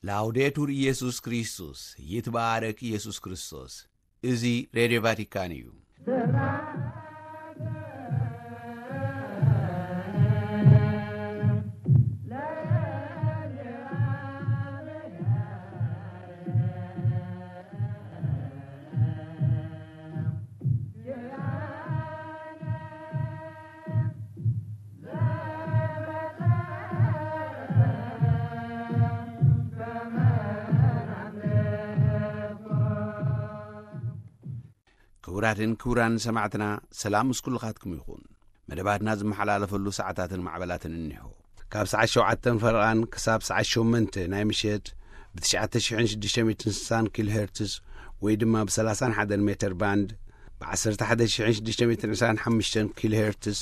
ላውዴቱር ኢየሱስ ክርስቶስ፣ ይትባረክ ኢየሱስ ክርስቶስ። እዚ ሬድዮ ቫቲካን እዩ። ክቡራትን ክቡራን ሰማዕትና፣ ሰላም ምስ ኩልኻትኩም ይኹን። መደባትና ዝመሓላለፈሉ ሰዓታትን ማዕበላትን እኒሆ። ካብ ሰዓት ሸውዓተን ፈረቓን ክሳብ ሰዓት ሸሞንተ ናይ ምሸት ብ ትሽዓተ ሽሕን ሽዱሽተ ሚእትን ስሳን ኪሎ ሄርትዝ ወይ ድማ ብ ሰላሳን ሓደን ሜተር ባንድ፣ ብ ዓሰርተ ሓደ ሽሕን ሽዱሽተ ሚእትን ዕስራን ሓሙሽተን ኪሎ ሄርትዝ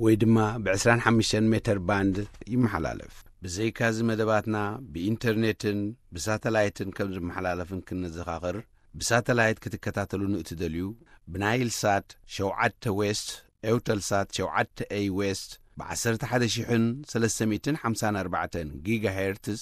ወይ ድማ ብ ዕስራን ሓሙሽተን ሜተር ባንድ ይመሓላለፍ። ብዘይካዚ መደባትና ብኢንተርኔትን ብሳተላይትን ከም ዝመሓላለፍን ክንዘኻኽር፣ ብሳተላይት ክትከታተሉን እትደልዩ፣ ብናይል ሳት ሸውዓተ ዌስት፣ ኤውተል ሳት ሸውዓተ ኤይ ዌስት፣ ብ ዓሰርተ ሓደ ሽሕን ሰለስተ ሚእትን ሓምሳን ኣርባዕተን ጊጋሄርትዝ፣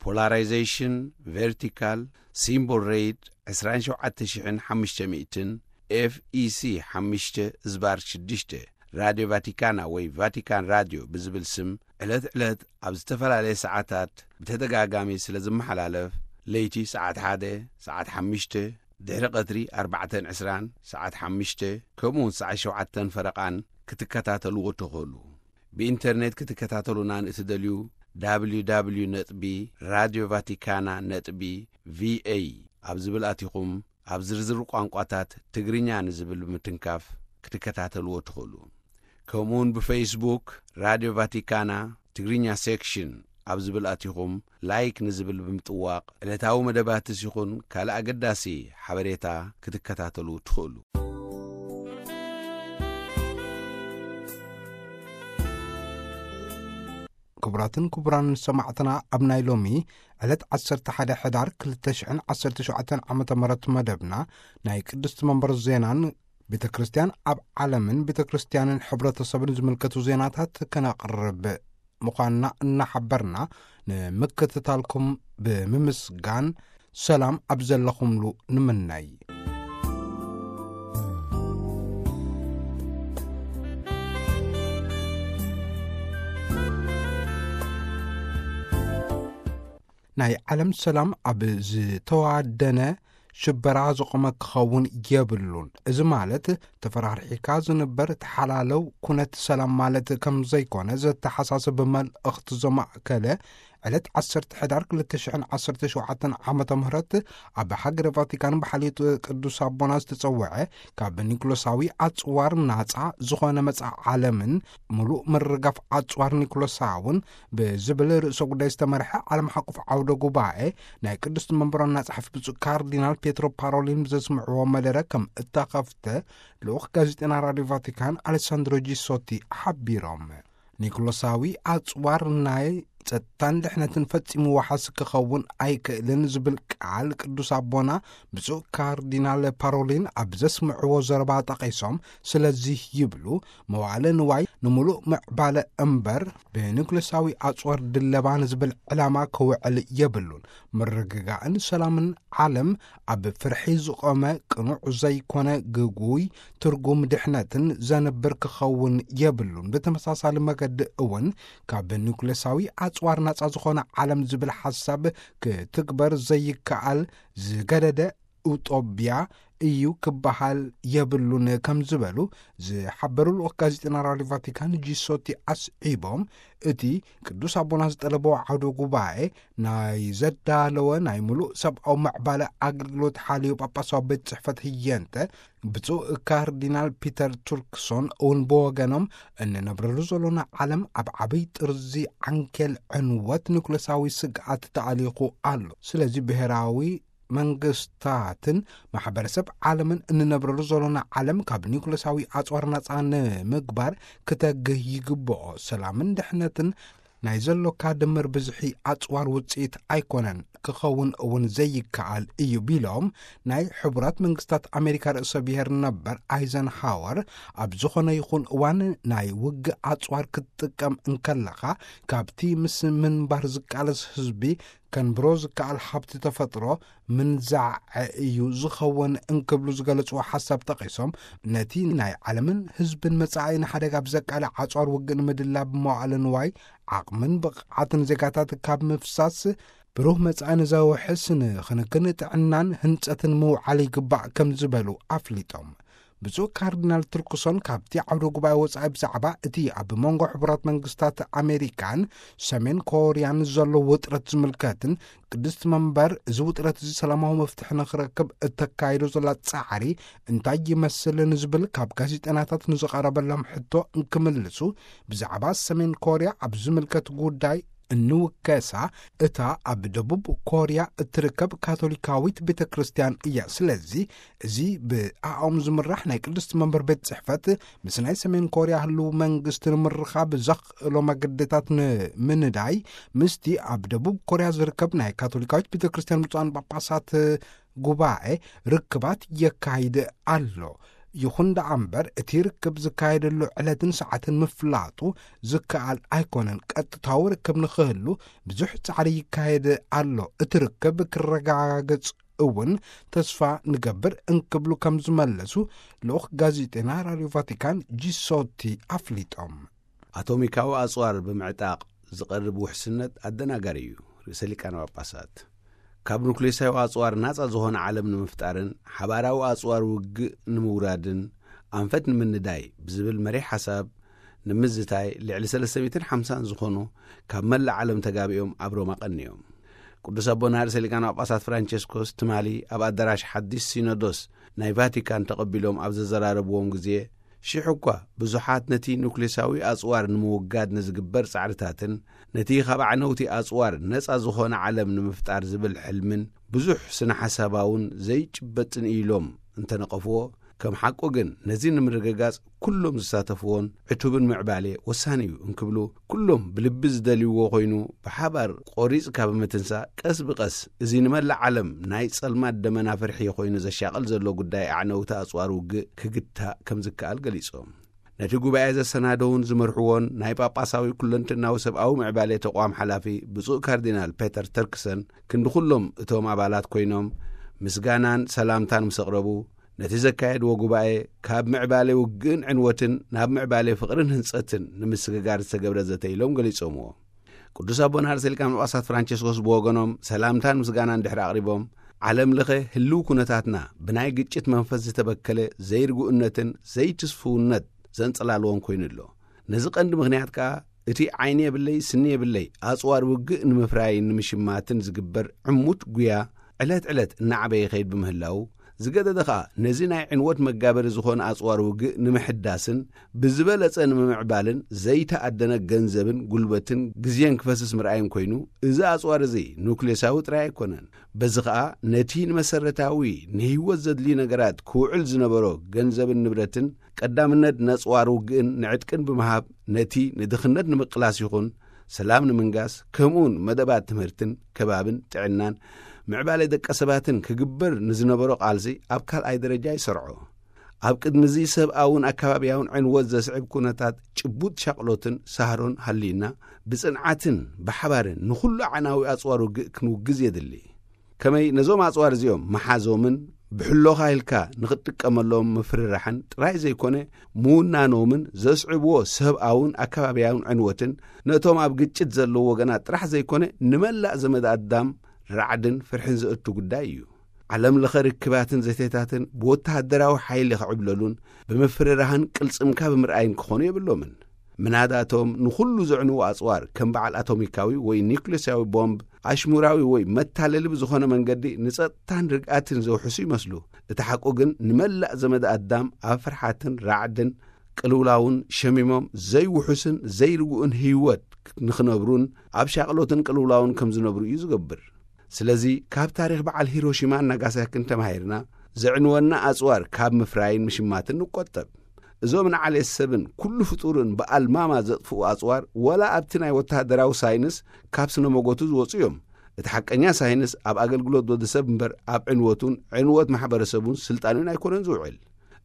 ፖላራይዜሽን ቨርቲካል፣ ሲምቦል ሬት ዕስራን ሸውዓተ ሽሕን ሓሙሽተ ሚእትን፣ ኤፍ ኢ ሲ ሓሙሽተ ዝባር ሽዱሽተ፣ ራድዮ ቫቲካና ወይ ቫቲካን ራድዮ ብዝብል ስም ዕለት ዕለት ኣብ ዝተፈላለየ ሰዓታት ብተደጋጋሚ ስለ ዝመሓላለፍ፣ ለይቲ ሰዓት ሓደ፣ ሰዓት ሓሙሽተ፣ ድሕሪ ቀትሪ ኣርባዕተን ዕስራን፣ ሰዓት ሓሙሽተ፣ ከምኡ እውን ሰዓት ሸውዓተን ፈረቓን ክትከታተልዎ ትኽእሉ። ብኢንተርኔት ክትከታተሉና ንእትደልዩ፣ ደብሊው ደብሊው ደብሊው ነጥቢ ራድዮ ቫቲካና ነጥቢ ቪ ኤ ኣብ ዝብል ኣቲኹም፣ ኣብ ዝርዝር ቋንቋታት ትግርኛ ንዝብል ብምትንካፍ ክትከታተልዎ ትኽእሉ። ከምኡውን ብፌስቡክ ራድዮ ቫቲካና ትግርኛ ሴክሽን ኣብ ዝብል ኣቲኹም፣ ላይክ ንዝብል ብምጥዋቕ፣ ዕለታዊ መደባትስ ይኹን ካልእ ኣገዳሲ ሓበሬታ ክትከታተሉ ትኽእሉ። ክቡራትን ክቡራን ሰማዕትና፣ ኣብ ናይ ሎሚ ዕለት ዓሰርተ ሓደ ሕዳር ክልተ ሽሕን ዓሰርተ ሸውዓተን ዓመተ ምህረት መደብና፣ ናይ ቅድስቲ መንበር ዜናን ቤተ ክርስቲያን ኣብ ዓለምን ቤተ ክርስቲያንን ሕብረተሰብን ዝምልከቱ ዜናታት ከነቕርብ ምዃንና እናሓበርና፣ ንምክትታልኩም ብምምስጋን፣ ሰላም ኣብ ዘለኹምሉ ንምነይ። ናይ ዓለም ሰላም ኣብ ዝተዋደነ ሽበራ ዝቖመ ክኸውን የብሉን። እዚ ማለት፣ ተፈራርሒካ ዝንበር ተሓላለው ኩነት ሰላም ማለት ከም ዘይኮነ ዘተሓሳስብ መልእኽቲ ዘማእከለ፣ ዕለት ዓሰርተ ሕዳር ክልተ ሽሕን ዓሰርተ ሸውዓተን ዓመተ ምህረት ኣብ ሃገረ ቫቲካን ብሓልዮት ቅዱስ ኣቦና ዝተጸውዐ፣ ካብ ኒኩሎሳዊ ኣጽዋር ናጻ ዝኾነ መጻኢ ዓለምን ምሉእ ምርጋፍ ኣጽዋር ኒኩሎሳውን ብዝብል ርእሰ ጉዳይ ዝተመርሐ ዓለም ሓቁፍ ዓውደ ጉባኤ፣ ናይ ቅድስቲ መንበር ዋና ጸሓፊ ብፁዕ ካርዲናል ፔትሮ ፓሮሊን ብዘስምዕዎ መደረ ከም እተኸፍተ ልኡኽ ጋዜጠና ራድዮ ቫቲካን ኣሌሳንድሮ ጂሶቲ ሓቢሮም። ኒኩሎሳዊ ኣጽዋር ናይ ጸጥታን ድሕነትን ፈጺሙ ዋሓስ ክኸውን ኣይክእልን ዝብል ቃል ቅዱስ ኣቦና ብፁዕ ካርዲናል ፓሮሊን ኣብ ዘስምዕዎ ዘረባ ጠቒሶም፣ ስለዚህ ይብሉ፣ መዋዕለ ንዋይ ንምሉእ ምዕባለ እምበር ብኒኩሌሳዊ ኣጽዋር ድለባ ንዝብል ዕላማ ክውዕል የብሉን። ምርግጋእን ሰላምን ዓለም ኣብ ፍርሒ ዝቖመ ቅኑዕ ዘይኮነ ግጉይ ትርጉም ድሕነትን ዘንብር ክኸውን የብሉን። ብተመሳሳሊ መገዲ እውን ካብ ኒኩሌሳዊ ኣጽዋር ናጻ ዝኾነ ዓለም ዝብል ሓሳብ ክትግበር ዘይከኣል ዝገደደ ኡጦብያ እዩ ክበሃል የብሉን ከም ዝበሉ ዝሓበሩ ልኡኽ ጋዜጠና ራድዮ ቫቲካን ጂሶቲ ኣስዒቦም፣ እቲ ቅዱስ ኣቦና ዝጠለቦ ዓውደ ጉባኤ ናይ ዘዳለወ ናይ ምሉእ ሰብኣዊ ምዕባለ ኣገልግሎት ሓልዮ ጳጳሳዊ ቤት ጽሕፈት ህየንተ ብፁዕ ካርዲናል ፒተር ቱርክሶን እውን ብወገኖም፣ እንነብረሉ ዘሎና ዓለም ኣብ ዓብይ ጥርዚ ዓንኬል ዕንወት ኒኩሌሳዊ ስግኣት ተኣሊኹ ኣሎ። ስለዚ ብሄራዊ መንግስታትን ማሕበረሰብ ዓለምን እንነብረሉ ዘሎና ዓለም ካብ ኒኩሌሳዊ ኣጽዋር ናጻ ንምግባር ክተግህ ይግብኦ። ሰላምን ድሕነትን ናይ ዘሎካ ድምር ብዝሒ ኣጽዋር ውጽኢት ኣይኮነን፣ ክኸውን እውን ዘይከኣል እዩ ቢሎም፣ ናይ ሕቡራት መንግስታት ኣሜሪካ ርእሰ ብሔር ነበር ኣይዘንሃወር ኣብ ዝኾነ ይኹን እዋን ናይ ውግእ ኣጽዋር ክትጥቀም እንከለኻ ካብቲ ምስ ምንባር ዝቃለስ ህዝቢ ከንብሮ ዝከኣል ሃብቲ ተፈጥሮ ምንዛዕ እዩ ዝኸውን እንክብሉ ዝገለጽዎ ሓሳብ ጠቒሶም፣ ነቲ ናይ ዓለምን ህዝብን መጻኢ ንሓደጋ ብዘቃልዕ ኣጽዋር ውግእ ንምድላብ መዋዕለ ንዋይ፣ ዓቕምን ብቕዓትን ዜጋታት ካብ ምፍሳስ፣ ብሩህ መጻኢ ንዘውሕስ ንክንክን ጥዕናን ህንጸትን ምውዓል ይግባእ ከም ዝበሉ ኣፍሊጦም። ብፁዕ ካርዲናል ትርክሶን ካብቲ ዓውደ ጉባኤ ወጻኢ ብዛዕባ እቲ ኣብ መንጎ ሕቡራት መንግስታት ኣሜሪካን ሰሜን ኮርያን ዘሎ ውጥረት ዝምልከትን፣ ቅድስቲ መንበር እዚ ውጥረት እዚ ሰላማዊ መፍትሒ ንክረክብ እተካይዶ ዘላ ጻዕሪ እንታይ ይመስል ንዝብል ካብ ጋዜጠናታት ንዝቐረበሎም ሕቶ እንክምልሱ፣ ብዛዕባ ሰሜን ኮርያ ኣብ ዝምልከት ጉዳይ እንውከሳ፣ እታ ኣብ ደቡብ ኮርያ እትርከብ ካቶሊካዊት ቤተ ክርስቲያን እያ። ስለዚ እዚ ብኣኦም ዝምራሕ ናይ ቅድስቲ መንበር ቤት ጽሕፈት ምስ ናይ ሰሜን ኮርያ ህልው መንግስቲ ንምርኻብ ዘኽእሎ መገድታት ንምንዳይ፣ ምስቲ ኣብ ደቡብ ኮርያ ዝርከብ ናይ ካቶሊካዊት ቤተ ክርስቲያን ብፁዓን ጳጳሳት ጉባኤ ርክባት የካይድ ኣሎ። ይኹን ደኣ እምበር፣ እቲ ርክብ ዝካየደሉ ዕለትን ሰዓትን ምፍላጡ ዝከኣል ኣይኮነን። ቀጥታዊ ርክብ ንኽህሉ ብዙሕ ጻዕሪ ይካየድ ኣሎ። እቲ ርክብ ክረጋገጽ እውን ተስፋ ንገብር እንክብሉ ከም ዝመለሱ ልኡኽ ጋዜጠና ራድዮ ቫቲካን ጂሶቲ ኣፍሊጦም። ኣቶሚካዊ ኣጽዋር ብምዕጣቕ ዝቐርብ ውሕስነት ኣደናጋሪ እዩ። ርእሰ ሊቃነ ጳጳሳት ካብ ኑክሌሳዊ ኣጽዋር ናጻ ዝኾነ ዓለም ንምፍጣርን ሓባራዊ ኣጽዋር ውግእ ንምውራድን ኣንፈት ንምንዳይ ብዝብል መሪሕ ሓሳብ ንምዝታይ ልዕሊ ሰለስተ ሚእትን ሓምሳን ዝኾኑ ካብ መላእ ዓለም ተጋቢኦም ኣብ ሮማ ቀንዮም። ቅዱስ ኣቦና ርእሰ ሊቃነ ጳጳሳት ፍራንቸስኮስ ትማሊ ኣብ ኣዳራሽ ሓዲስ ሲኖዶስ ናይ ቫቲካን ተቐቢሎም ኣብ ዘዘራረብዎም ግዜ፣ ሽሕ እኳ ብዙሓት ነቲ ኑክሌሳዊ ኣጽዋር ንምውጋድ ንዝግበር ጻዕርታትን ነቲ ካብ ኣዕነውቲ ኣጽዋር ነጻ ዝኾነ ዓለም ንምፍጣር ዝብል ሕልምን ብዙሕ ስነ ሓሳባውን ዘይጭበጥን ኢሎም እንተነቐፍዎ፣ ከም ሓቁ ግን ነዚ ንምርግጋጽ ኩሎም ዝሳተፍዎን ዕቱብን ምዕባሌ ወሳኒ እዩ እንክብሉ፣ ኩሎም ብልቢ ዝደልይዎ ኮይኑ ብሓባር ቆሪጽካ ብምትንሳእ፣ ቀስ ብቐስ እዚ ንመላእ ዓለም ናይ ጸልማት ደመና ፍርሒ ኮይኑ ዘሻቕል ዘሎ ጉዳይ ኣዕነውቲ ኣጽዋር ውግእ ክግታእ ከም ዝከኣል ገሊጾም። ነቲ ጉባኤ ዘሰናደውን ዝመርሕዎን ናይ ጳጳሳዊ ኩለንትናዊ ሰብኣዊ ምዕባሌ ተቋም ሓላፊ ብፁዕ ካርዲናል ፔተር ተርክሰን ክንዲ ኩሎም እቶም ኣባላት ኮይኖም ምስጋናን ሰላምታን ምስ ኣቕረቡ፣ ነቲ ዘካየድዎ ጉባኤ ካብ ምዕባሌ ውግእን ዕንወትን ናብ ምዕባሌ ፍቕርን ህንጸትን ንምስግጋር ዝተገብረ ዘተ ኢሎም ገሊጾምዎ። ቅዱስ ኣቦና ርእሰ ሊቃነ ጳጳሳት ፍራንቸስኮስ ብወገኖም ሰላምታን ምስጋናን ድሕሪ ኣቕሪቦም፣ ዓለም ለኸ ህልው ኩነታትና ብናይ ግጭት መንፈስ ዝተበከለ ዘይርጉእነትን ዘይትስፍውነት ዘንጸላልዎን ኮይኑ ኣሎ። ነዚ ቀንዲ ምኽንያት ከኣ እቲ ዓይኒ የብለይ ስኒ የብለይ ኣጽዋር ውግእ ንምፍራይን ንምሽማትን ዝግበር ዕሙት ጉያ ዕለት ዕለት እናዓበየ ይኸይድ ብምህላው፣ ዝገደደ ኸኣ ነዚ ናይ ዕንወት መጋበሪ ዝኾነ ኣጽዋር ውግእ ንምሕዳስን ብዝበለጸ ንምምዕባልን ዘይተኣደነ ገንዘብን ጉልበትን ግዜን ክፈስስ ምርኣይን ኮይኑ፣ እዚ ኣጽዋር እዚ ኑክሌሳዊ ጥራይ ኣይኮነን። በዚ ኸኣ ነቲ ንመሰረታዊ ንህይወት ዘድልዩ ነገራት ክውዕል ዝነበሮ ገንዘብን ንብረትን ቀዳምነት ነጽዋር ውግእን ንዕጥቅን ብምሃብ፣ ነቲ ንድኽነት ንምቅላስ ይኹን ሰላም ንምንጋስ፣ ከምኡውን መደባት ትምህርትን ከባብን ጥዕናን ምዕባለ ደቀ ሰባትን ክግበር ንዝነበሮ ቃልሲ ኣብ ካልኣይ ደረጃ ይሰርዖ። ኣብ ቅድሚ እዚ ሰብኣውን ኣከባብያውን ዕንወት ዘስዕብ ኩነታት ጭቡጥ ሻቕሎትን ሳህሮን ሃልዩና፣ ብጽንዓትን ብሓባርን ንኹሉ ኣዕናዊ ኣጽዋር ውግእ ክንውግዝ የድሊ። ከመይ ነዞም ኣጽዋር እዚኦም ምሓዞምን ብሕሎኻ ኢልካ ንኽትጥቀመሎም ምፍርራሕን ጥራይ ዘይኮነ፣ ምውናኖምን ዘስዕብዎ ሰብኣውን ኣከባብያውን ዕንወትን ነቶም ኣብ ግጭት ዘለዉ ወገናት ጥራሕ ዘይኮነ፣ ንመላእ ዘመድ ኣዳም ራዕድን ፍርሕን ዘእቱ ጉዳይ እዩ። ዓለም ለኸ ርክባትን ዘተታትን ብወተሃደራዊ ሓይሊ ክዕብለሉን ብምፍርራህን ቅልጽምካ ብምርኣይን ክኾኑ የብሎምን። ምናዳቶም ንኹሉ ዘዕንዉ ኣጽዋር ከም በዓል ኣቶሚካዊ ወይ ኒውክሌሳዊ ቦምብ፣ ኣሽሙራዊ ወይ መታለሊ ብዝኾነ መንገዲ ንጸጥታን ርግኣትን ዘውሕሱ ይመስሉ። እቲ ሓቁ ግን ንመላእ ዘመድ ኣዳም ኣብ ፍርሓትን ራዕድን ቅልውላውን ሸሚሞም ዘይውሑስን ዘይርጉእን ህይወት ንኽነብሩን ኣብ ሻቕሎትን ቅልውላውን ከም ዝነብሩ እዩ ዝገብር። ስለዚ ካብ ታሪኽ በዓል ሂሮሺማን ናጋሳኪን ተማሂርና፣ ዘዕንወና ኣጽዋር ካብ ምፍራይን ምሽማትን ንቆጠብ። እዞም ንዓሌት ሰብን ኩሉ ፍጡርን ብኣልማማ ዘጥፍኡ ኣጽዋር፣ ወላ ኣብቲ ናይ ወተሃደራዊ ሳይንስ ካብ ስነ መጎቱ ዝወጹ እዮም። እቲ ሓቀኛ ሳይንስ ኣብ ኣገልግሎት ወዲ ሰብ እምበር ኣብ ዕንወቱን ዕንወት ማሕበረሰቡን ስልጣኑን ኣይኮነን ዝውዕል።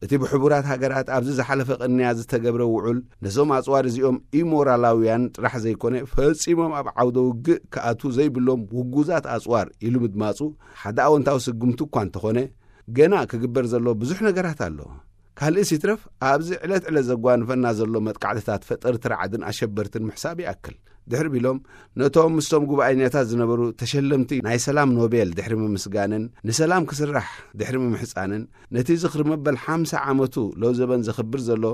እቲ ብሕቡራት ሃገራት ኣብዚ ዝሓለፈ ቅንያ ዝተገብረ ውዑል፣ ነዞም ኣጽዋር እዚኦም ኢሞራላውያን ጥራሕ ዘይኮነ፣ ፈጺሞም ኣብ ዓውደ ውግእ ክኣትዉ ዘይብሎም ውጉዛት ኣጽዋር ኢሉ ምድማጹ ሓደ ኣወንታዊ ስጉምቲ እኳ እንተኾነ፣ ገና ክግበር ዘሎ ብዙሕ ነገራት ኣሎ። ካልእስ ይትረፍ፣ ኣብዚ ዕለት ዕለት ዘጓንፈና ዘሎ መጥቃዕትታት ፈጠርቲ ራዕድን ኣሸበርትን ምሕሳብ ይኣክል። ድሕሪ ቢሎም፣ ነቶም ምስቶም ጉባኤኛታት ዝነበሩ ተሸለምቲ ናይ ሰላም ኖቤል ድሕሪ ምምስጋንን ንሰላም ክስራሕ ድሕሪ ምምሕጻንን፣ ነቲ ዝኽሪ መበል ሓምሳ ዓመቱ ለውዘበን ዘኽብር ዘሎ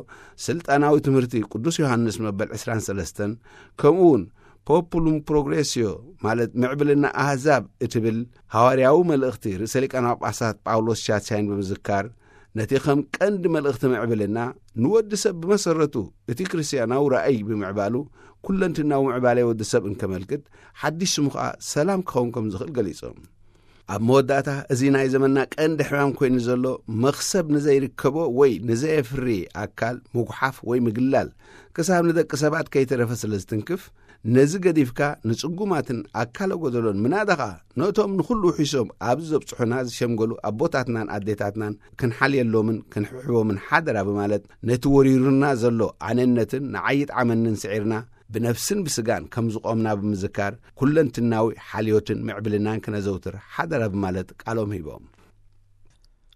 ስልጣናዊ ትምህርቲ ቅዱስ ዮሃንስ መበል ዕስራን ሰለስተን፣ ከምኡ እውን ፖፑሉም ፕሮግሬስዮ፣ ማለት ምዕብልና ኣህዛብ እትብል ሃዋርያዊ መልእኽቲ ርእሰ ሊቃነ ጳጳሳት ጳውሎስ ሻትሻይን ብምዝካር፣ ነቲ ከም ቀንዲ መልእኽቲ ምዕብልና፣ ንወዲ ሰብ ብመሰረቱ እቲ ክርስትያናዊ ራእይ ብምዕባሉ፣ ኩለንትናዊ ምዕባለ ወዲ ሰብ እንከመልክት፣ ሓድሽ ስሙ ኸኣ ሰላም ክኸውን ከም ዝኽእል ገሊጾም። ኣብ መወዳእታ፣ እዚ ናይ ዘመንና ቀንዲ ሕማም ኮይኑ ዘሎ፣ መኽሰብ ንዘይርከቦ ወይ ንዘየፍሪ ኣካል ምጉሓፍ ወይ ምግላል፣ ክሳብ ንደቂ ሰባት ከይተረፈ ስለ ዝትንክፍ፣ ነዚ ገዲፍካ ንጽጉማትን ኣካለ ጎደሎን፣ ምናዳ ኸኣ ነቶም ንኹሉ ውሒሶም ኣብዚ ዘብጽሑና ዝሸምገሉ ኣቦታትናን ኣዴታትናን ክንሓልየሎምን ክንሕብሕቦምን ሓደራ ብማለት፣ ነቲ ወሪሩና ዘሎ ኣነነትን ንዓይ ይጥዓመንን ስዒርና፣ ብነፍስን ብስጋን ከም ዝቖምና ብምዝካር፣ ኩለንትናዊ ሓልዮትን ምዕብልናን ክነዘውትር ሓደራ ብማለት ቃሎም ሂቦም።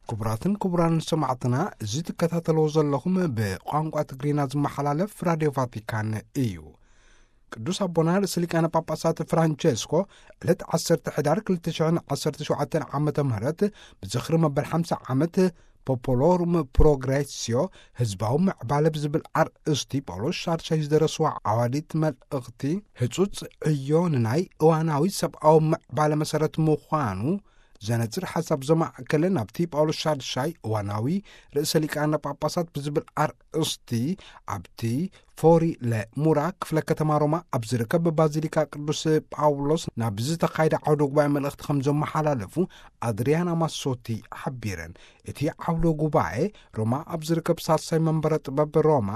ክቡራትን ክቡራን ሰማዕትና፣ እዚ ትከታተልዎ ዘለኹም ብቋንቋ ትግርኛ ዝመሓላለፍ ራድዮ ቫቲካን እዩ። ቅዱስ ኣቦና ርእሰ ሊቃነ ጳጳሳት ፍራንቸስኮ ዕለት ዓሰርተ ሕዳር ክልተ ሽሕን ዓሰርተ ሸውዓተን ዓመተ ምህረት ብዝኽሪ መበል ሓምሳ ዓመት ፖፖሎሩም ፕሮግሬስዮ፣ ህዝባዊ ምዕባለ ብዝብል ኣርእስቲ ጳውሎስ ሻድሻይ ዝደረስዋ ዓዋዲት መልእኽቲ፣ ህጹጽ ዕዮ ንናይ እዋናዊ ሰብኣዊ ምዕባለ መሰረት ምዃኑ ዘነጽር ሓሳብ ዘማእከለ፣ ናብቲ ጳውሎስ ሻድሻይ እዋናዊ ርእሰ ሊቃነ ጳጳሳት ብዝብል ኣርእስቲ፣ ኣብቲ ፎሪ ለሙራ ክፍለ ከተማ ሮማ ኣብ ዝርከብ ባዚሊካ ቅዱስ ጳውሎስ ናብ ዝተኻየደ ዓውደ ጉባኤ መልእኽቲ ከም ዘመሓላለፉ ኣድሪያና ማሶቲ ሓቢረን። እቲ ዓውደ ጉባኤ፣ ሮማ ኣብ ዝርከብ ሳልሳይ መንበረ ጥበብ ሮማ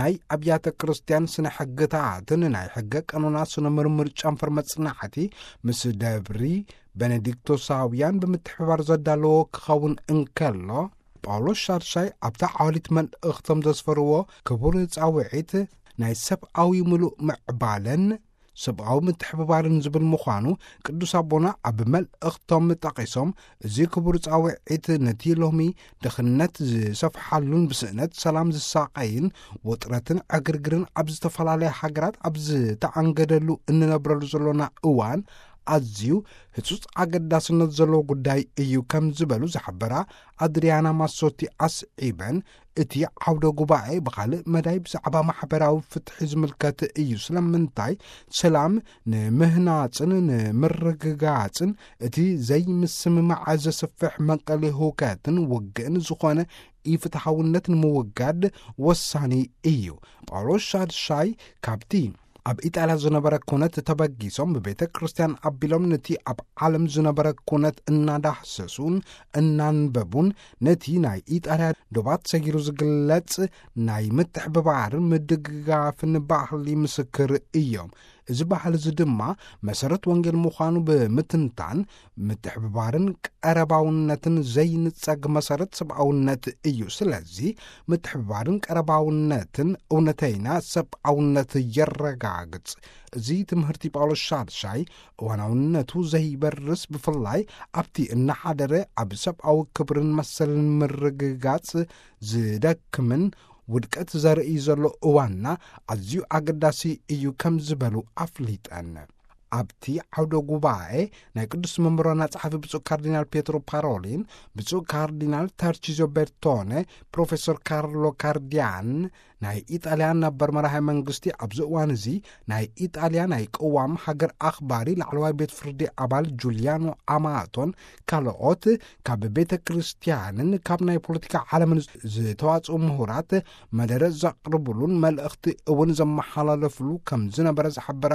ናይ ኣብያተ ክርስቲያን ስነ ሕግታትን ናይ ሕገ ቀኖና ስነ ምርምር ጨንፈር መጽናዕቲ ምስ ደብሪ ቤኔዲክቶሳውያን ብምትሕብባር ዘዳለዎ ክኸውን እንከሎ፣ ጳውሎስ ሻድሻይ ኣብታ ዓዋሊት መልእኽቶም ዘስፈርዎ ክቡር ጻውዒት ናይ ሰብኣዊ ምሉእ ምዕባለን ሰብኣዊ ምትሕብባርን ዝብል ምዃኑ ቅዱስ ኣቦና ኣብ መልእኽቶም ጠቒሶም፣ እዚ ክቡር ጻውዒት ነቲ ሎሚ ድኽነት ዝሰፍሓሉን ብስእነት ሰላም ዝሳቐይን ውጥረትን ዕግርግርን ኣብ ዝተፈላለያ ሃገራት ኣብ ዝተኣንገደሉ እንነብረሉ ዘሎና እዋን ኣዝዩ ህጹጽ ኣገዳስነት ዘለዎ ጉዳይ እዩ ከም ዝበሉ ዝሓበራ ኣድሪያና ማሶቲ ኣስዒበን፣ እቲ ዓውደ ጉባኤ ብኻልእ መዳይ ብዛዕባ ማሕበራዊ ፍትሒ ዝምልከት እዩ። ስለምንታይ? ሰላም ንምህናጽን ንምርግጋጽን እቲ ዘይምስምማዕ ዘስፍሕ መንቀሊ ህውከትን ውግእን ዝኾነ ኢፍትሓውነት ንምውጋድ ወሳኒ እዩ። ጳውሎስ ሻድሻይ ካብቲ ኣብ ኢጣልያ ዝነበረ ኩነት ተበጊሶም ብቤተ ክርስቲያን ኣቢሎም ነቲ ኣብ ዓለም ዝነበረ ኩነት እናዳህሰሱን እናንበቡን ነቲ ናይ ኢጣልያ ዶባት ሰጊሩ ዝግለጽ ናይ ምትሕብባርን ምድግጋፍን ባህሊ ምስክር እዮም። እዚ ባህሊ እዚ ድማ መሰረት ወንጌል ምዃኑ ብምትንታን፣ ምትሕብባርን ቀረባውነትን ዘይንጸግ መሰረት ሰብኣውነት እዩ። ስለዚ ምትሕብባርን ቀረባውነትን እውነተይና ሰብኣውነት የረጋግጽ። እዚ ትምህርቲ ጳውሎስ ሻድሻይ እዋናውነቱ ዘይበርስ፣ ብፍላይ ኣብቲ እናሓደረ ኣብ ሰብኣዊ ክብርን መሰልን ምርግጋጽ ዝደክምን ውድቀት ዘርኢ ዘሎ እዋንና ኣዝዩ ኣገዳሲ እዩ ከም ዝበሉ ኣፍሊጠን። ኣብቲ ዓውደ ጉባኤ ናይ ቅዱስ መንበር ዋና ጸሓፊ ብፁዕ ካርዲናል ፔትሮ ፓሮሊን፣ ብፁዕ ካርዲናል ታርቺዞ ቤርቶነ፣ ፕሮፌሰር ካርሎ ካርዲያን፣ ናይ ኢጣልያ ነበር መራሒ መንግስቲ፣ ኣብዚ እዋን እዚ ናይ ኢጣልያ ናይ ቅዋም ሃገር ኣኽባሪ ላዕለዋይ ቤት ፍርዲ ኣባል ጁልያኖ ኣማቶን ካልኦት ካብ ቤተ ክርስቲያንን ካብ ናይ ፖለቲካ ዓለምን ዝተዋጽኡ ምሁራት መደረ ዘቕርብሉን መልእኽቲ እውን ዘመሓላለፍሉ ከም ዝነበረ ዝሓበራ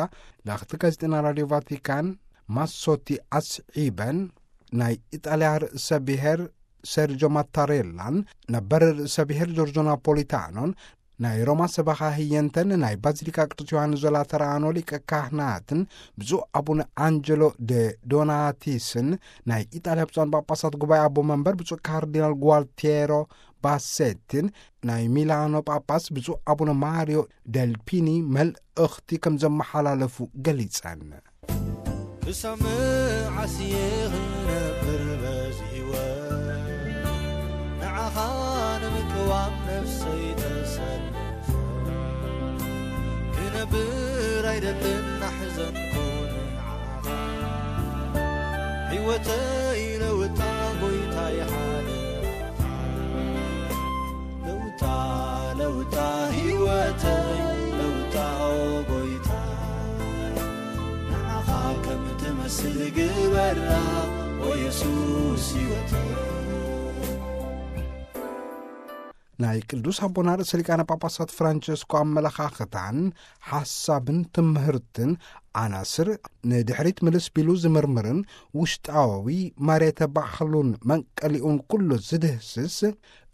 ለኽቲ ጋዜጠና ራድዮ ቫቲካን ማሶቲ ኣስዒበን፣ ናይ ኢጣልያ ርእሰ ብሔር ሰርጆ ማታሬላን ነበር ርእሰ ብሔር ጆርጆ ናፖሊታኖን ናይ ሮማ ሰበኻ ህየንተን ናይ ባዚሊካ ቅዱስ ዮሃንስ ዘላተራኖ ሊቀ ካህናትን ብፁዕ ኣቡነ ኣንጀሎ ደ ዶናቲስን ናይ ኢጣልያ ብፁዓን ጳጳሳት ጉባኤ ኣቦ መንበር ብፁዕ ካርዲናል ጓልቲየሮ ባሴቲን ናይ ሚላኖ ጳጳስ ብፁዕ ኣቡነ ማሪዮ ደልፒኒ መልእኽቲ ከም ዘመሓላለፉ ገሊጸን። ክሳብ መዓስ እየ ክነብር በዚ ህይወት? ንዓኻ ንምቅዋም ነፍሰይ ተሰልፈ፣ ክነብር ኣይደልን ናሕዘንኩ ንዓኻ። ህይወተይ ለውጣ ጎይታይ ሓደራኻ። ለውጣ ለውጣ ህይወተይ ለውጣ ኦ ጎይታ፣ ንዓኻ ከም ትመስል ግበራ ኦ የሱስ ህይወተይ። ናይ ቅዱስ ኣቦና ርእሰ ሊቃነ ጳጳሳት ፍራንቸስኮ ኣመለኻኽታን ሓሳብን ትምህርትን ዓናስር ንድሕሪት ምልስ ቢሉ ዝምርምርን ውሽጣዊ መሬተ ባሕሉን መንቀሊኡን ኩሉ ዝድህስስ፣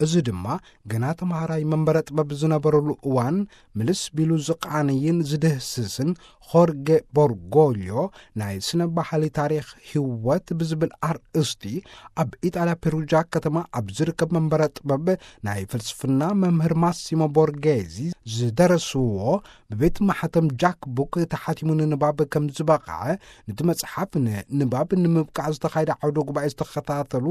እዚ ድማ ገና ተምሃራይ መንበረ ጥበብ ዝነበረሉ እዋን ምልስ ቢሉ ዝቃንይን ዝድህስስን ሆርጌ ቦርጎልዮ ናይ ስነ ባህሊ ታሪኽ ህይወት ብዝብል ኣርእስቲ ኣብ ኢጣልያ ፔሩጃ ከተማ ኣብ ዝርከብ መንበረ ጥበብ ናይ ፍልስፍና መምህር ማሲሞ ቦርጌዚ ዝደረስዎ ብቤት ማሕተም ጃክ ቡክ ተሓቲሙ ንንባብ ከም ዝበቕዐ፣ ነቲ መጽሓፍ ንንባብ ንምብቃዕ ዝተኻየደ ዓውደ ጉባኤ ዝተኸታተሉ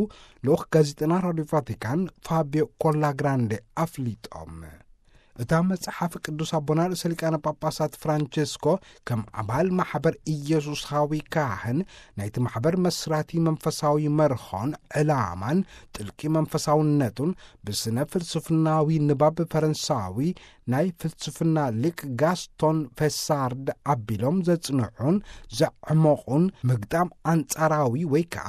ልኡኽ ጋዜጠና ራድዮ ቫቲካን ፋቢዮ ኮላግራንዴ ኣፍሊጦም። እታ መጽሓፍ ቅዱስ ኣቦና ርእሰ ሊቃነ ጳጳሳት ፍራንቸስኮ ከም ኣባል ማሕበር ኢየሱሳዊ ካህን ናይቲ ማሕበር መስራቲ መንፈሳዊ መርኾን ዕላማን ጥልቂ መንፈሳውነቱን ብስነ ፍልስፍናዊ ንባብ ፈረንሳዊ ናይ ፍልስፍና ሊቅ ጋስቶን ፌሳርድ ኣቢሎም ዘጽንዑን ዘዕመቑን ምግጣም ኣንጻራዊ ወይ ከዓ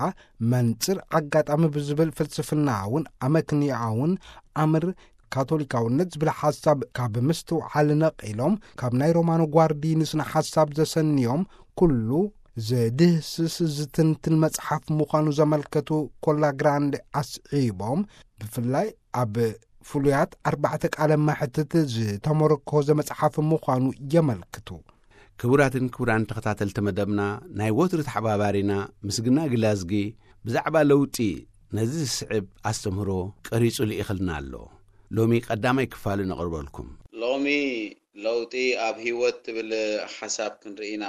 መንጽር ኣጋጣሚ ብዝብል ፍልስፍናውን ኣመክንያውን ኣምር ካቶሊካውነት ዝብል ሓሳብ ካብ ምስትውዓል ነቒሎም ካብ ናይ ሮማኖ ጓርዲኒ ስነ ሓሳብ ዘሰንዮም ኩሉ ዘድህስስ ዝትንትን መጽሓፍ ምዃኑ ዘመልከቱ ኮላግራንድ ኣስዒቦም፣ ብፍላይ ኣብ ፍሉያት ኣርባዕተ ቃለ መሕትት ዝተመረኮዘ መጽሓፍ ምዃኑ የመልክቱ። ክቡራትን ክቡራን ተኸታተልቲ መደብና፣ ናይ ወትሩ ተሓባባሪና ምስግና ግላዝጊ ብዛዕባ ለውጢ ነዚ ዝስዕብ ኣስተምህሮ ቀሪጹ ልኢኽልና ኣሎ። ሎሚ ቀዳማይ ክፋሉ ነቕርበልኩም። ሎሚ ለውጢ ኣብ ህይወት ትብል ሓሳብ ክንርኢ ኢና።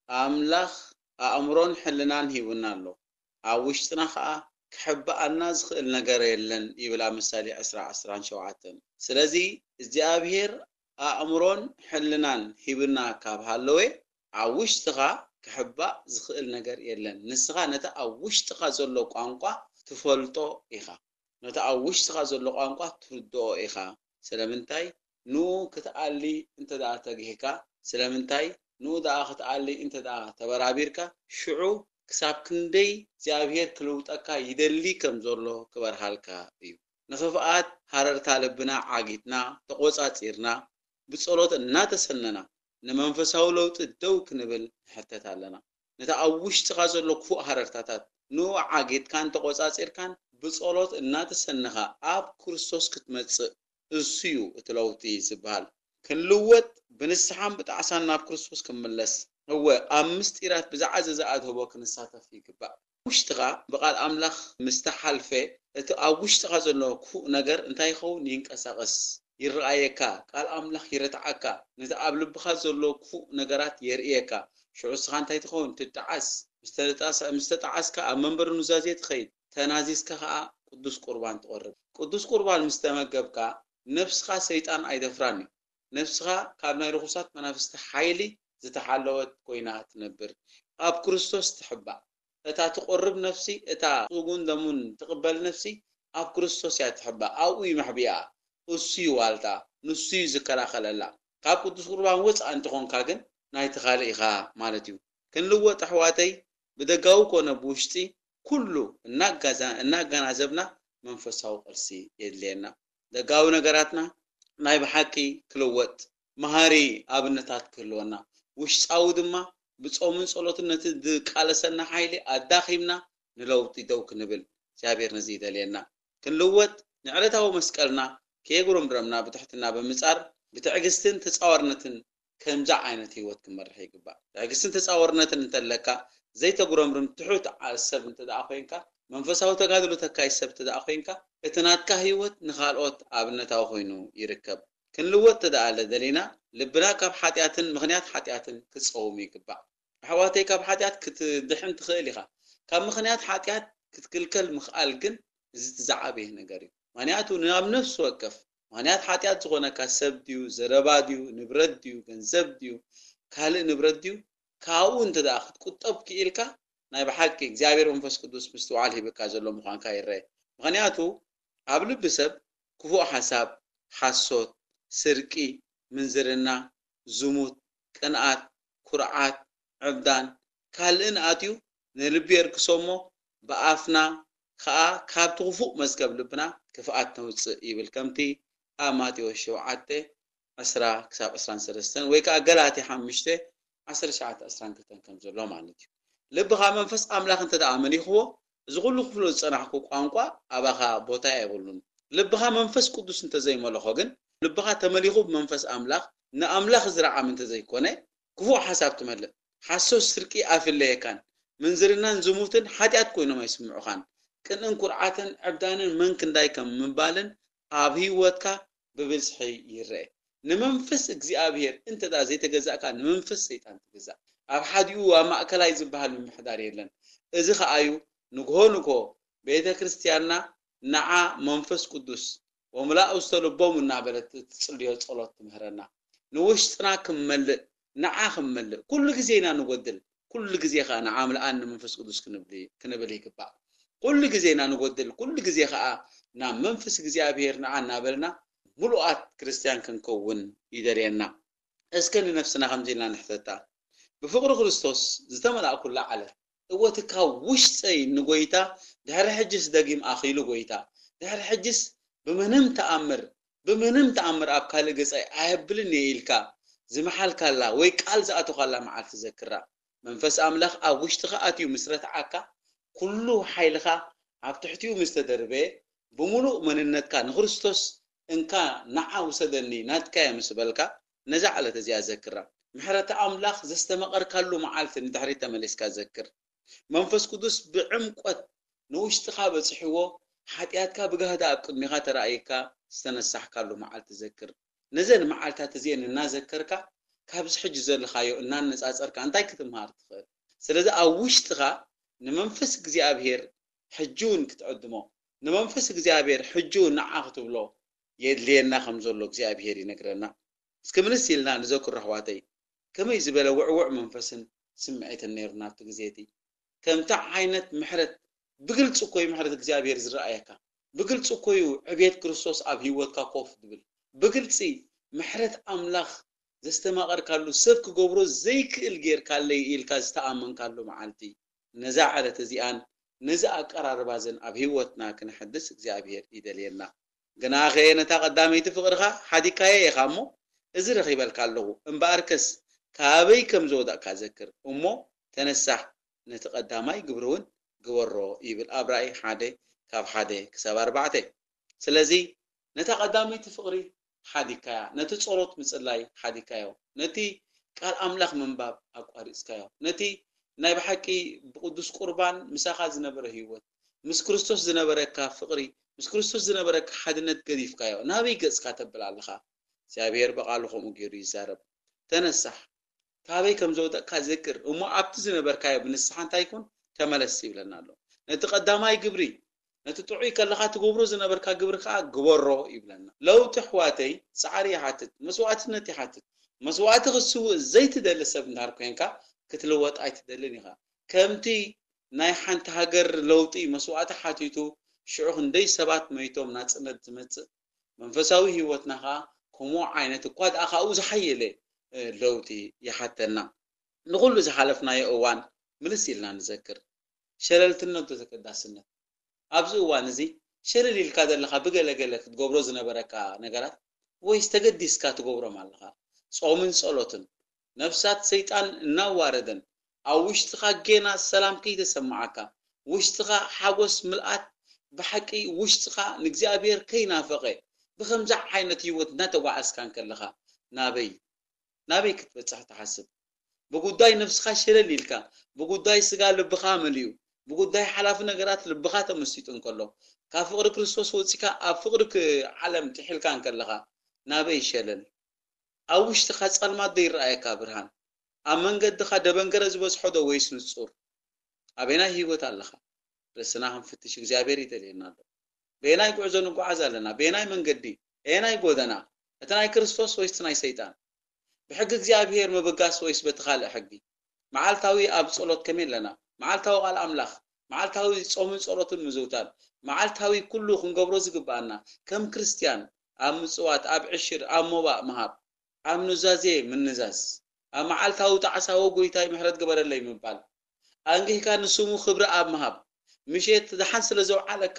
ኣምላኽ ኣእምሮን ሕልናን ሂቡና ኣሎ። ኣብ ውሽጥና ኸኣ ክሕብኣና ዝኽእል ነገር የለን ይብል ኣብ ምሳሌ ዕስራ ዕስራን ሸውዓተን። ስለዚ እግዚኣብሔር ኣእምሮን ሕልናን ሂብና ካብ ሃለወ፣ ኣብ ውሽጥኻ ክሕባእ ዝኽእል ነገር የለን። ንስኻ ነቲ ኣብ ውሽጥኻ ዘሎ ቋንቋ ትፈልጦ ኢኻ። ነቲ ኣብ ውሽጥኻ ዘሎ ቋንቋ ትርድኦ ኢኻ። ስለምንታይ? ንኡ ክትኣሊ እንተ ደኣ ተግሂካ፣ ስለምንታይ? ንኡ ደኣ ክትኣሊ እንተ ደኣ ተበራቢርካ፣ ሽዑ ክሳብ ክንደይ እግዚኣብሔር ክልውጠካ ይደሊ ከም ዘሎ ክበርሃልካ እዩ። ንኽፍኣት ሃረርታ ልብና ዓጊትና፣ ተቖጻጺርና፣ ብጸሎት እናተሰነና፣ ንመንፈሳዊ ለውጢ ደው ክንብል ንሕተት ኣለና። ነቲ ኣብ ውሽጥኻ ዘሎ ክፉእ ሃረርታታት፣ ንኡ ዓጊትካን ተቖጻጺርካን፣ ብጸሎት እናተሰነኻ፣ ኣብ ክርስቶስ ክትመጽእ፣ እሱ እዩ እቲ ለውጢ ዝበሃል። ክንልወጥ፣ ብንስሓን ብጣዕሳን ናብ ክርስቶስ ክንምለስ፣ እወ፣ ኣብ ምስጢራት ብዝዓዘዘ ኣድህቦ ክንሳተፍ ይግባእ። ውሽጥኻ ብቓል ኣምላኽ ምስ ተሓልፈ፣ እቲ ኣብ ውሽጥኻ ዘሎ ክፉእ ነገር እንታይ ይኸውን? ይንቀሳቐስ፣ ይረኣየካ፣ ቃል ኣምላኽ ይረትዓካ። ነቲ ኣብ ልብኻ ዘሎ ክፉእ ነገራት የርእየካ። ሽዑ እስኻ እንታይ ትኸውን? ትጠዓስ። ምስ ተጣዕሰ-፣ ምስ ተጠዓስካ ኣብ መንበሪ ኑዛዜ ትኸይድ። ተናዚዝካ ኸኣ ቅዱስ ቁርባን ትቐርብ። ቅዱስ ቁርባን ምስ ተመገብካ፣ ነፍስኻ ሰይጣን ኣይደፍራን እዩ። ነፍስኻ ካብ ናይ ርኹሳት መናፍስቲ ሓይሊ ዝተሓለወት ኮይና ትነብር። ኣብ ክርስቶስ ትሕባእ። እታ ትቆርብ ነፍሲ፣ እታ ስጉን ደሙን ትቕበል ነፍሲ፣ ኣብ ክርስቶስ እያ ትሕባእ። ኣብኡ እዩ መሕቢኣ። እሱ እዩ ዋልታ፣ ንሱ እዩ ዝከላኸለላ። ካብ ቅዱስ ቁርባን ወጻእ እንተኾንካ ግን፣ ናይቲ ካልእ ኢኻ ማለት እዩ። ክንልወጥ ኣሕዋተይ፣ ብደጋዊ ኮነ ብውሽጢ፣ ኩሉ እናጋዛ-፣ እናገናዘብና መንፈሳዊ ቅርሲ የድልየና። ደጋዊ ነገራትና ናይ ብሓቂ ክልወጥ፣ መሃሪ ኣብነታት ክህልወና፣ ውሽጣዊ ድማ ብጾምን ጸሎትን ነቲ ዝቃለሰና ሓይሊ ኣዳኺምና ንለውጢ ደው ክንብል እግዚኣብሔር ነዚ ይደልየና። ክንልወጥ ንዕለታዊ መስቀልና ከየጉረምረምና ብትሕትና ብምጻር ብትዕግስትን ተጻዋርነትን ከምዚ ዓይነት ህይወት ክንመርሕ ይግባእ። ትዕግስትን ተጻዋርነትን እንተለካ ዘይተጉረምርም ትሑት ዓ-፣ ሰብ እንተ ደኣ ኮይንካ መንፈሳዊ ተጋድሎ ተካይድ ሰብ ተደኣ ኮይንካ፣ እቲ ናትካ ህይወት ንኻልኦት ኣብነታዊ ኮይኑ ይርከብ። ክንልወጥ ተደኣ ለደሊና፣ ልብና ካብ ሓጢኣትን ምኽንያት ሓጢኣትን ክጸውም ይግባእ። ኣሕዋተይ፣ ካብ ሓጢኣት ክትድሕን ትኽእል ኢኻ። ካብ ምኽንያት ሓጢኣት ክትክልከል ምኽኣል ግን፣ እዚ እቲ ዝዓበየ ነገር እዩ። ምኽንያቱ፣ ናብ ነፍሲ ወከፍ ምኽንያት ሓጢኣት ዝኾነካ ሰብ ድዩ፣ ዘረባ ድዩ፣ ንብረት ድዩ፣ ገንዘብ ድዩ፣ ካልእ ንብረት ድዩ፣ ካብኡ እንተ ደኣ ክትቁጠብ ክኢልካ፣ ናይ ብሓቂ እግዚኣብሔር መንፈስ ቅዱስ ምስትውዓል ሂብካ ዘሎ ምዃንካ ይረአ። ምኽንያቱ፣ ኣብ ልቢ ሰብ ክፉእ ሓሳብ፣ ሓሶት፣ ስርቂ፣ ምንዝርና፣ ዝሙት፣ ቅንኣት፣ ኩርዓት፣ ዕብዳን፣ ካልእን ኣትዩ ንልቢ የርክሶ እሞ፣ ብኣፍና ከኣ ካብቲ ክፉእ መዝገብ ልብና ክፍኣት ነውጽእ ይብል። ከምቲ ኣብ ማቴዎስ ሸውዓተ ዕስራ ክሳብ ዕስራን ሰለስተን ወይ ከኣ ገላትያ ሓሙሽተ ዓሰርተ ትሽዓተ ዕስራን ክልተን ከም ዘሎ ማለት እዩ። ልብኻ መንፈስ ኣምላኽ እንተ ደኣ መሊኽዎ፣ እዚ ኩሉ ክፍሎ ዝጸናሕኩ ቋንቋ ኣባኻ ቦታ የብሉን። ልብኻ መንፈስ ቅዱስ እንተ ዘይመለኾ ግን፣ ልብኻ ተመሊኹ ብመንፈስ ኣምላኽ፣ ንኣምላኽ ዝረዓም እንተ ዘይኮነ፣ ክፉእ ሓሳብ ትመልእ። ሓሶት፣ ስርቂ ኣይፍለየካን። ምንዝርናን ዝሙትን ሓጢኣት ኮይኖም ኣይስምዑኻን። ቅንእን ኩርዓትን ዕብዳንን መን ክንዳይ ከም ምባልን ኣብ ህይወትካ ብብዝሒ ይረአ። ንመንፈስ እግዚኣብሔር እንተ ደኣ ዘይተገዛእካ፣ ንመንፈስ ሰይጣን ትግዛእ። ኣብ ሓዲኡ ኣብ ማእከላይ ዝበሃል ምምሕዳር የለን። እዚ ኸኣ እዩ ንግሆ ንግሆ ቤተ ክርስቲያንና ንዓ መንፈስ ቅዱስ ወምላእ ውስተ ልቦም እናበለት እትጽልዮ ጸሎት ትምህረና። ንውሽጥና ክመልእ፣ ንዓ ክመልእ። ኩሉ ግዜ ኢና ንጎድል። ኩሉ ግዜ ኸኣ ንዓ ምልኣኒ መንፈስ ቅዱስ ክንብል፣ ክንብል ይግባእ። ኩሉ ግዜ ኢና ንጎድል። ኩሉ ግዜ ኸኣ ናብ መንፈስ እግዚኣብሔር ንዓ እናበልና ምሉኣት ክርስትያን ክንከውን ይደልየና። እስከ ንነፍስና ከምዚ ኢልና ንሕተታ። ብፍቕሪ ክርስቶስ ዝተመላእኩላ ዓለም፣ እወ፣ እቲ ካብ ውሽጠይ ንጎይታ ድሕሪ ሕጅስ ደጊም ኣኺሉ ጎይታ፣ ድሕሪ ሕጅስ ብምንም ተኣምር፣ ብምንም ተኣምር ኣብ ካልእ ገጻይ ኣየብልን እየ ኢልካ ዝመሓልካላ ወይ ቃል ዝኣቶኻላ መዓልቲ ዘክራ። መንፈስ ኣምላኽ ኣብ ውሽጥኻ ኣትዩ ምስ ረትዓካ፣ ኩሉ ሓይልኻ ኣብ ትሕቲኡ ምስ ተደርበየ፣ ብምሉእ መንነትካ ንክርስቶስ እንካ ንዓ ውሰደኒ ናትካ እየ ምስ በልካ፣ ነዛ ዕለት እዚኣ ዘክራ። ምሕረት ኣምላኽ ዘስተመቐርካሉ መዓልቲ ንድሕሪት ተመሊስካ ዘክር። መንፈስ ቅዱስ ብዕምቆት ንውሽጥኻ በጺሕዎ፣ ሓጢኣትካ ብጋህዲ ኣብ ቅድሚኻ ተራእይካ ዝተነሳሕካሉ መዓልቲ ዘክር። ነዘን መዓልታት እዚአን እናዘከርካ፣ ካብዚ ሕጂ ዘለኻዮ እናነጻጸርካ እንታይ ክትምሃር ትኽእል? ስለዚ ኣብ ውሽጥኻ ንመንፈስ እግዚኣብሔር ሕጂ እውን ክትዕድሞ፣ ንመንፈስ እግዚኣብሔር ሕጂ እውን ንዓ ክትብሎ የድልየና ከም ዘሎ እግዚኣብሔር ይነግረና። እስኪ ምልስ ኢልና ንዘክሮ ኣሕዋተይ፣ ከመይ ዝበለ ውዕውዕ መንፈስን ስምዒትን ነይሩና ኣብቲ ግዜ እቲ። ከምቲ ዓይነት ምሕረት፣ ብግልጺ እኮ እዩ ምሕረት እግዚኣብሔር ዝረኣየካ። ብግልጺ እኮ እዩ ዕቤት ክርስቶስ ኣብ ህይወትካ ኮፍ ዝብል። ብግልጺ ምሕረት ኣምላኽ ዘስተማቐርካሉ፣ ሰብ ክገብሮ ዘይክእል ጌርካለይ ኢልካ ዝተኣመንካሉ መዓልቲ። ነዛ ዕለት እዚኣን ነዚ ኣቀራርባ እዘን ኣብ ህይወትና ክነሐድስ እግዚኣብሔር ይደልየና። ግናኸ ነታ ቀዳመይቲ ፍቕርኻ ሓዲግካያ ኢኻ እሞ፣ እዚ ረኺበልካ ኣለኹ። እምበኣርከስ ካበይ ከም ዝወደቕካ ዘክር እሞ፣ ተነሳሕ፣ ነቲ ቀዳማይ ግብሪ እውን ግበሮ ይብል ኣብ ራእይ ሓደ ካብ ሓደ ክሳብ ኣርባዕተ። ስለዚ ነታ ቀዳመይቲ ፍቕሪ ሓዲግካያ፣ ነቲ ጸሎት ምጽላይ ሓዲግካዮ፣ ነቲ ቃል ኣምላኽ ምንባብ ኣቋሪጽካዮ፣ ነቲ ናይ ብሓቂ ብቅዱስ ቁርባን ምሳኻ ዝነበረ ህይወት፣ ምስ ክርስቶስ ዝነበረካ ፍቕሪ፣ ምስ ክርስቶስ ዝነበረካ ሓድነት ገዲፍካዮ፣ ናበይ ገጽካ ተብል ኣለኻ? እግዚኣብሔር ብቓሉ ከምኡ ገይሩ ይዛረብ። ተነሳሕ፣ ካበይ ከም ዝወደቕካ ዘክር፣ እሞ ኣብቲ ዝነበርካዮ ብንስሓ እንታይ ይኹን? ተመለስ ይብለና ኣሎ። ነቲ ቀዳማይ ግብሪ፣ ነቲ ጥዑይ ከለኻ ትገብሮ ዝነበርካ ግብሪ ከኣ ግበሮ ይብለና። ለውጢ ኣሕዋተይ ጻዕሪ ይሓትት፣ መስዋእትነት ይሓትት። መስዋእቲ ክትስውእ ዘይትደሊ ሰብ እንድሕር ኮይንካ፣ ክትልወጥ ኣይትደልን ኢኻ። ከምቲ ናይ ሓንቲ ሃገር ለውጢ መስዋእቲ ሓቲቱ፣ ሽዑ ክንደይ ሰባት መይቶም ናጽነት ዝመጽእ፣ መንፈሳዊ ህይወትና ከኣ ከምኡ ዓይነት እኳ ደኣ ካብኡ ዝሓየለ፣ እ፣ ለውጢ ይሓተና። ንኹሉ ዝሓለፍናዮ እዋን ምልስ ኢልና ንዘክር። ሸለልትነት ዶ ተገዳስነት? ኣብዚ እዋን እዚ ሸለል ኢልካ ዘለኻ ብገለገለ ክትገብሮ ዝነበረካ ነገራት ወይስ ተገዲስካ ትገብሮም ኣለኻ? ጾምን ጸሎትን፣ ነፍሳት ሰይጣን እናዋረደን፣ ኣብ ውሽጥኻ ጌና ሰላም ከይተሰማዓካ፣ ውሽጥኻ ሓጎስ ምልኣት ብሓቂ ውሽጥኻ ንእግዚኣብሔር ከይናፈቐ፣ ብኸምዚ ዓይነት ህይወት እናተጓዓዝካ እንከለኻ፣ ናበይ ናበይ ክትበጽሕ ትሓስብ? ብጉዳይ ነፍስኻ ሸለል ኢልካ፣ ብጉዳይ ስጋ ልብኻ መሊኡ፣ ብጉዳይ ሓላፊ ነገራት ልብኻ ተመሲጡ እንከሎ፣ ካብ ፍቕሪ ክርስቶስ ወጺካ ኣብ ፍቕሪ ክ-፣ ዓለም ጥሒልካ እንከለኻ፣ ናበይ ይሸለል? ኣብ ውሽጥኻ ጸልማት ዶ ይረኣየካ ብርሃን? ኣብ መንገድኻ ደበንገረ ዝበዝሖ ዶ ወይስ ንጹር? ኣበየናይ ህይወት ኣለኻ? ርእስና ክንፍትሽ እግዚኣብሔር ይደልየና ኣሎ። በየናይ ጉዕዞ ንጓዓዝ ኣለና? በየናይ መንገዲ? ኣየናይ ጎደና? እቲ ናይ ክርስቶስ ወይስ እቲ ናይ ሰይጣን? ብሕጊ እግዚኣብሔር ምብጋስ ወይስ በቲ ካልእ ሕጊ? መዓልታዊ ኣብ ጸሎት ከመይ ኣለና? መዓልታዊ ቃል ኣምላኽ፣ መዓልታዊ ጾምን ጸሎትን ምዝውታር፣ መዓልታዊ ኩሉ ክንገብሮ ዝግብኣና ከም ክርስትያን፣ ኣብ ምጽዋት፣ ኣብ ዕሽር፣ ኣብ ሞባእ ምሃብ፣ ኣብ ኑዛዜ ምንዛዝ፣ ኣብ መዓልታዊ ጣዕሳ "ወ ጎይታይ ምሕረት ግበረለይ" ምባል፣ ኣንጊህካ ንስሙ ክብሪ ኣብ ምሃብ፣ ምሸት ደሓን ስለ ዘውዓለካ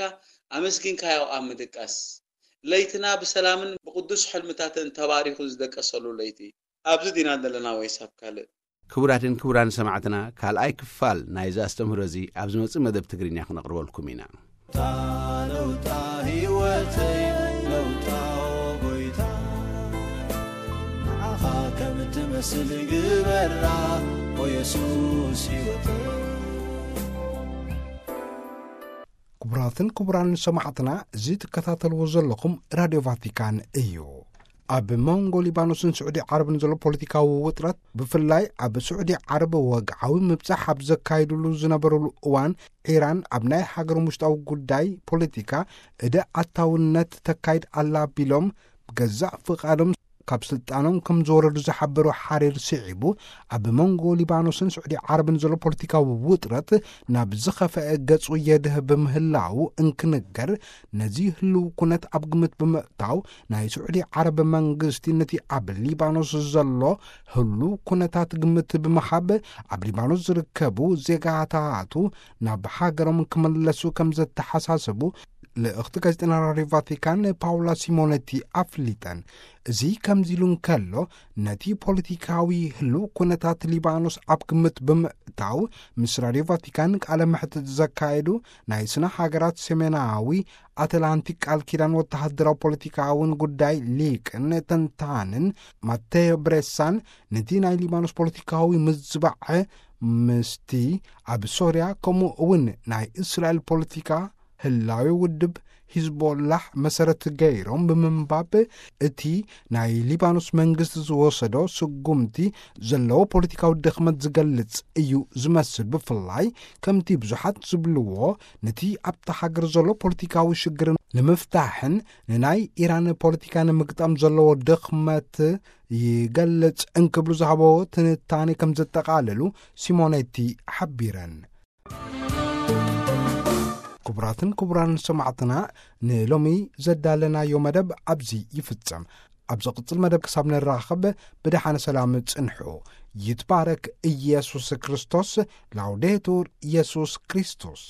ኣመስጊንካዮ ኣብ ምድቃስ፣ ለይትና ብሰላምን ብቕዱስ ሕልምታትን ተባሪኹ ዝደቀሰሉ ለይቲ። ኣብዚ ዲና ዘለና ወይስ ኣብ ካልእ? ክቡራትን ክቡራን ሰማዕትና፣ ካልኣይ ክፋል ናይዚ ኣስተምህሮ እዚ ኣብ ዝመጽእ መደብ ትግርኛ ክነቕርበልኩም ኢና። ለውጣ ህይወተይ፣ ለውጣ ጎይታ፣ ንዓኻ ከም ትመስል ግበራ፣ ኦ የሱስ ህይወተይ። ክቡራትን ክቡራን ሰማዕትና፣ እዚ ትከታተልዎ ዘለኹም ራድዮ ቫቲካን እዩ። ኣብ መንጎ ሊባኖስን ስዑዲ ዓረብን ዘሎ ፖለቲካዊ ውጥረት፣ ብፍላይ ኣብ ስዑዲ ዓረብ ወግዓዊ ምብጻሕ ኣብ ዘካይድሉ ዝነበሩሉ እዋን፣ ኢራን ኣብ ናይ ሃገሮም ውሽጣዊ ጉዳይ ፖለቲካ እደ ኣታውነት ተካይድ ኣላ ቢሎም፣ ብገዛእ ፍቓዶም ካብ ስልጣኖም ከም ዝወረዱ ዝሓበሩ ሓሪር ስዒቡ፣ ኣብ መንጎ ሊባኖስን ስዑዲ ዓረብን ዘሎ ፖለቲካዊ ውጥረት ናብ ዝኸፍአ ገጹ የድህብ ምህላዉ እንክንገር፣ ነዚ ህልው ኩነት ኣብ ግምት ብምእታው፣ ናይ ስዑዲ ዓረብ መንግስቲ ነቲ ኣብ ሊባኖስ ዘሎ ህሉው ኩነታት ግምት ብምሃብ፣ ኣብ ሊባኖስ ዝርከቡ ዜጋታቱ ናብ ሃገሮም ክምለሱ ከም ዘተሓሳሰቡ ልእኽቲ ጋዜጠኛ ራድዮ ቫቲካን ፓውላ ሲሞነቲ ኣፍሊጠን። እዚ ከምዚ ኢሉ እንከሎ፣ ነቲ ፖለቲካዊ ህሉው ኩነታት ሊባኖስ ኣብ ግምት ብምእታው፣ ምስ ራድዮ ቫቲካን ቃለ መሕትት ዘካየዱ ናይ ስነ ሃገራት ሰሜናዊ ኣትላንቲክ ቃል ኪዳን ወተሃደራዊ ፖለቲካውን ጉዳይ ሊቅን ተንታንን ማቴዮ ብሬሳን፣ ነቲ ናይ ሊባኖስ ፖለቲካዊ ምዝባዕ ምስቲ ኣብ ሶርያ፣ ከምኡ እውን ናይ እስራኤል ፖለቲካ፣ ህላዌ ውድብ ሂዝቦላህ መሰረት ገይሮም ብምንባብ፣ እቲ ናይ ሊባኖስ መንግስቲ ዝወሰዶ ስጉምቲ ዘለዎ ፖለቲካዊ ድኽመት ዝገልጽ እዩ ዝመስል። ብፍላይ ከምቲ ብዙሓት ዝብልዎ፣ ነቲ ኣብታ ሃገር ዘሎ ፖለቲካዊ ሽግር ንምፍታሕን ንናይ ኢራን ፖለቲካ ንምግጣም ዘለዎ ድኽመት ይገልጽ እንክብሉ ዝሃቦ ትንታኔ ከም ዘጠቓለሉ ሲሞኔቲ ሓቢረን። ክቡራትን ክቡራን ሰማዕትና፣ ንሎሚ ዘዳለናዮ መደብ ኣብዚ ይፍጸም። ኣብ ዝቕጽል መደብ ክሳብ ንራኸብ፣ ብደሓነ ሰላም ጽንሑ። ይትባረክ ኢየሱስ ክርስቶስ። ላውዴቱር ኢየሱስ ክርስቶስ።